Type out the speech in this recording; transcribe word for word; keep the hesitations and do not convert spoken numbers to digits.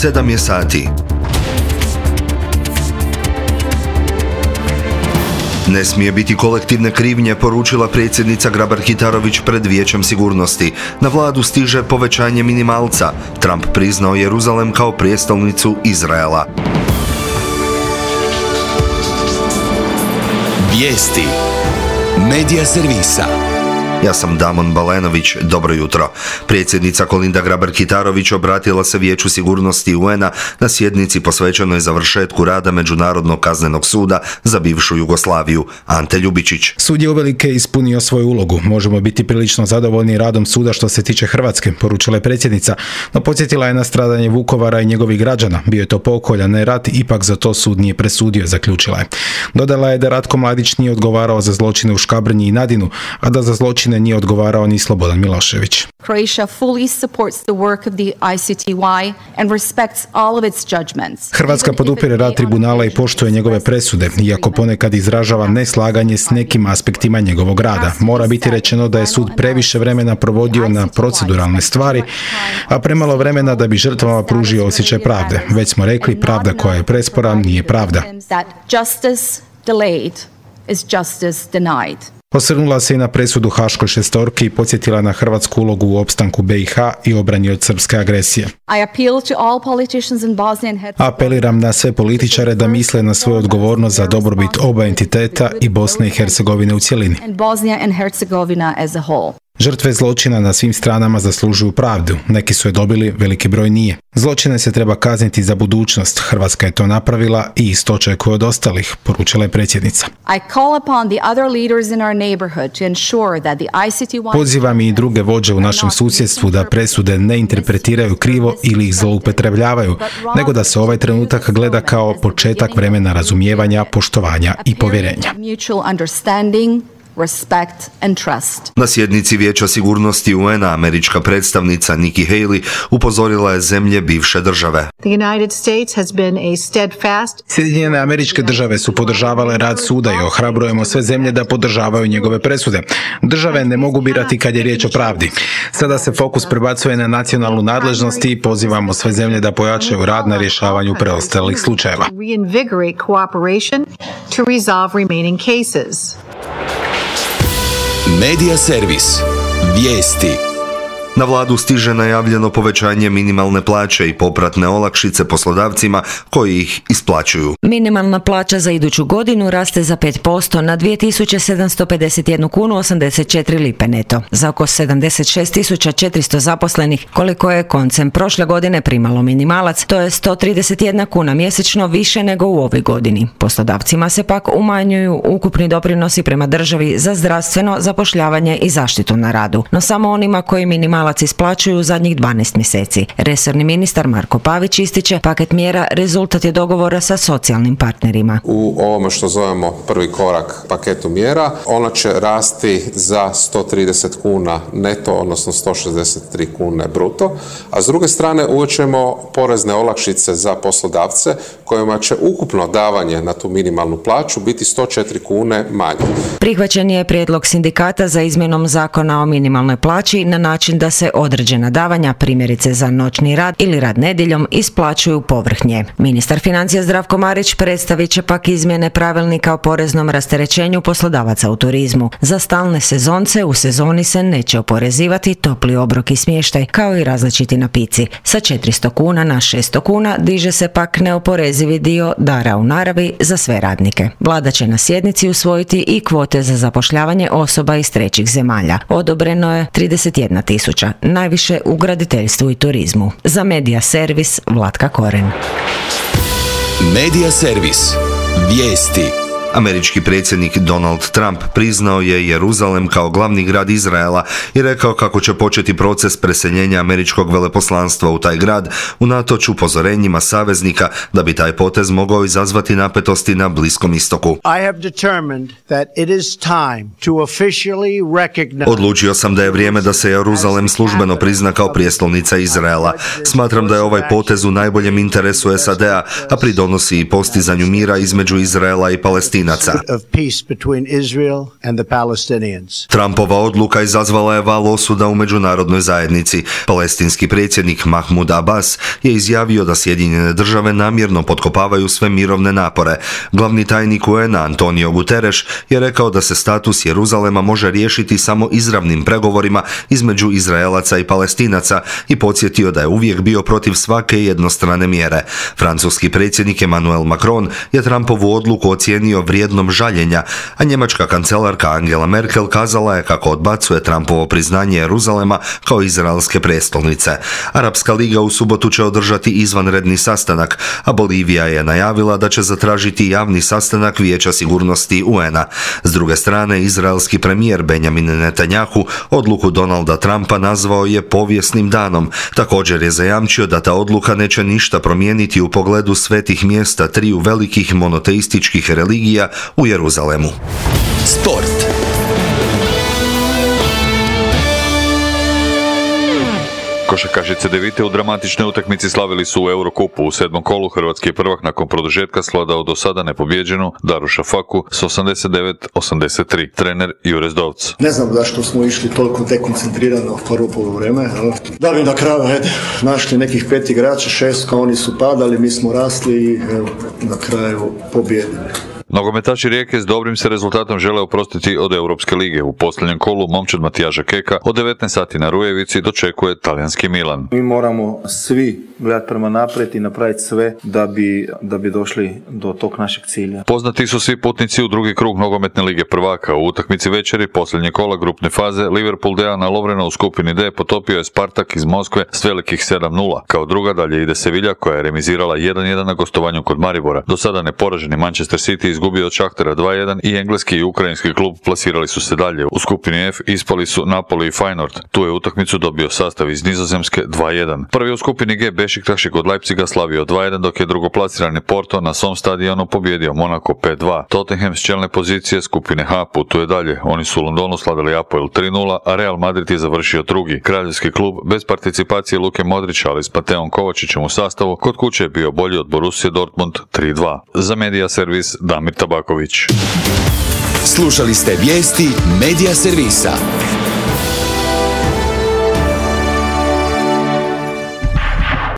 sedam je sati. Ne smije biti kolektivne krivnje, poručila predsjednica Grabar-Kitarović pred Vijećem sigurnosti. Na vladu stiže povećanje minimalca. Trump priznao Jeruzalem kao prijestolnicu Izraela. Vijesti Medija servisa. Ja sam Damon Balenović, dobro jutro. Predsjednica Kolinda Grabar-Kitarović obratila se Vijeću sigurnosti U N-a na sjednici posvećenoj završetku rada Međunarodnog kaznenog suda za bivšu Jugoslaviju. Ante Ljubičić. Sud je uvelike ispunio svoju ulogu. Možemo biti prilično zadovoljni radom suda što se tiče Hrvatske, poručila je predsjednica, no podsjetila je na stradanje Vukovara i njegovih građana. Bio je to pokolj, a ne rat, ipak za to sud nije presudio, zaključila je. Dodala je da Ratko Mladić nije odgovarao za zločine u Škabrnji i Nadinu, a da za zločine nije odgovarao ni Slobodan Milošević. Croatia fully supports the work of the I C T Y and respects all of its judgments. Hrvatska podupire rad tribunala i poštuje njegove presude, iako ponekad izražava neslaganje s nekim aspektima njegovog rada. Mora biti rečeno da je sud previše vremena provodio na proceduralne stvari, a premalo vremena da bi žrtvama pružio osjećaj pravde. Već smo rekli, pravda koja je prespora nije pravda. Justice delayed is justice denied. Osvrnula se i na presudu Haškoj šestorki i podsjetila na hrvatsku ulogu u opstanku B i H i obrani od srpske agresije. Apeliram na sve političare da misle na svoju odgovornost za dobrobit oba entiteta i Bosne i Hercegovine u cjelini. Žrtve zločina na svim stranama zaslužuju pravdu. Neki su je dobili, veliki broj nije. Zločine se treba kazniti za budućnost. Hrvatska je to napravila i isto očekuje od ostalih, poručila je predsjednica. Pozivam i druge vođe u našem susjedstvu da presude ne interpretiraju krivo ili ih zloupotrebljavaju, nego da se ovaj trenutak gleda kao početak vremena razumijevanja, poštovanja i povjerenja. Respect and trust. Na sjednici Vijeća sigurnosti U N-a američka predstavnica Nikki Haley upozorila je zemlje bivše države. Sjedinjene Američke Države su podržavale rad suda i ohrabrujemo sve zemlje da podržavaju njegove presude. Države ne mogu birati kad je riječ o pravdi. Sada se fokus prebacuje na nacionalnu nadležnost i pozivamo sve zemlje da pojačaju rad na rješavanju preostalih slučajeva. Medija servis. Vijesti. Na vladu stiže najavljeno povećanje minimalne plaće i popratne olakšice poslodavcima koji ih isplaćuju. Minimalna plaća za iduću godinu raste za pet posto na dvije tisuće sedamsto pedeset jednu kunu osamdeset četiri lipe neto. Za oko sedamdeset šest tisuća četiristo zaposlenih, koliko je koncem prošle godine primalo minimalac, to je sto trideset jedna kuna mjesečno više nego u ovoj godini. Poslodavcima se pak umanjuju ukupni doprinosi prema državi za zdravstveno, zapošljavanje i zaštitu na radu, no samo onima koji minimalac isplaćuju u zadnjih dvanaest mjeseci. Resorni ministar Marko Pavić ističe, paket mjera rezultat je dogovora sa socijalnim partnerima. U ovome što zovemo prvi korak paketu mjera, ona će rasti za sto trideset kuna neto, odnosno sto šezdeset tri kune bruto, a s druge strane uvećemo porezne olakšice za poslodavce kojima će ukupno davanje na tu minimalnu plaću biti sto četiri kune manje. Prihvaćen je prijedlog sindikata za izmjenom zakona o minimalnoj plaći na način da se određena davanja, primjerice za noćni rad ili rad nedjeljom, isplaćuju povrh nje. Ministar financija Zdravko Marić predstavit će pak izmjene pravilnika o poreznom rasterećenju poslodavaca u turizmu. Za stalne sezonce u sezoni se neće oporezivati topli obrok i smještaj, kao i različiti napici. Sa četiristo kuna na šesto kuna diže se pak neoporezivi dio dara u naravi za sve radnike. Vlada će na sjednici usvojiti i kvote za zapošljavanje osoba iz trećih zemalja. Odobreno je trideset jedna tisuća, najviše u graditeljstvu i turizmu. Za Medija servis Vlatka Koren. Medija servis. Vijesti. Američki predsjednik Donald Trump priznao je Jeruzalem kao glavni grad Izraela i rekao kako će početi proces preseljenja američkog veleposlanstva u taj grad unatoč upozorenjima saveznika da bi taj potez mogao izazvati napetosti na Bliskom istoku. Odlučio sam da je vrijeme da se Jeruzalem službeno prizna kao prijestolnica Izraela. Smatram da je ovaj potez u najboljem interesu S A D-a, a pridonosi i postizanju mira između Izraela i Palestine, Palestinaca. Trumpova odluka izazvala je val osuda u međunarodnoj zajednici. Palestinski predsjednik Mahmud Abbas je izjavio da Sjedinjene države namjerno potkopavaju sve mirovne napore. Glavni tajnik U N A Antonio Guterres je rekao da se status Jeruzalema može riješiti samo izravnim pregovorima između Izraelaca i Palestinaca i podsjetio da je uvijek bio protiv svake jednostrane mjere. Francuski predsjednik Emmanuel Macron je Trumpovu odluku ocijenio vrijednom žaljenja, a njemačka kancelarka Angela Merkel kazala je kako odbacuje Trumpovo priznanje Jeruzalema kao izraelske prestolnice. Arapska liga u subotu će održati izvanredni sastanak, a Bolivija je najavila da će zatražiti javni sastanak Vijeća sigurnosti U N A. S druge strane, izraelski premijer Benjamin Netanjahu odluku Donalda Trumpa nazvao je povijesnim danom. Također je zajamčio da ta odluka neće ništa promijeniti u pogledu svetih mjesta triju velikih monoteističkih religija u Jeruzalemu. Sport. Košarkaši Cedevite u dramatičnoj utakmici slavili su u Eurokupu. U sedmom kolu hrvatski je prvak nakon produžetka svladao do sada nepobjeđenu Daruša Faku s osamdeset devet osamdeset tri. Trener Jure Zdovc. Ne znam zašto smo išli toliko dekoncentrirano u prvo poluvreme. Da bi na kraju ajde, našli nekih pet igrača, šest kao oni su padali, mi smo rasli i evo, na kraju pobjedili. Nogometaši Rijeke s dobrim se rezultatom žele oprostiti od Europske lige. U posljednjem kolu momčad Matijaža Keka od devetnaest sati na Rujevici dočekuje talijanski Milan. Mi moramo svi gledati prema naprijed i napraviti sve da bi, da bi došli do tog našeg cilja. Poznati su svi putnici u drugi krug nogometne lige prvaka. U utakmici večeri posljednje kola grupne faze Liverpool Dejana Lovrena u skupini D potopio je Spartak iz Moskve s velikih sedam nula. Kao druga dalje ide Sevilla koja je remizirala jedan jedan na gostovanju kod Maribora. Do sada neporaženi Manchester City izgubio od Šahtera dva jedan i engleski i ukrajinski klub plasirali su se dalje. U skupini F ispali su Napoli i Feyenoord. Tu je utakmicu dobio sastav iz Nizozemske dva jedan. Prvi u skupini G Bešiktaš je kod Leipziga slavio dva jedan, dok je drugoplasirani Porto na svom stadionu pobjedio Monaco pet dva. Tottenham s čelne pozicije skupine H putuje dalje. Oni su u Londonu slavili Apoel tri nula, a Real Madrid je završio drugi. Kraljevski klub bez participacije Luke Modrića, ali s Mateom Kovačićem u sastavu, kod kuće je bio bolji od Borussia Dortmund tri dva. Za Media Servis Damir Tabaković. Slušali ste vijesti Media Servisa.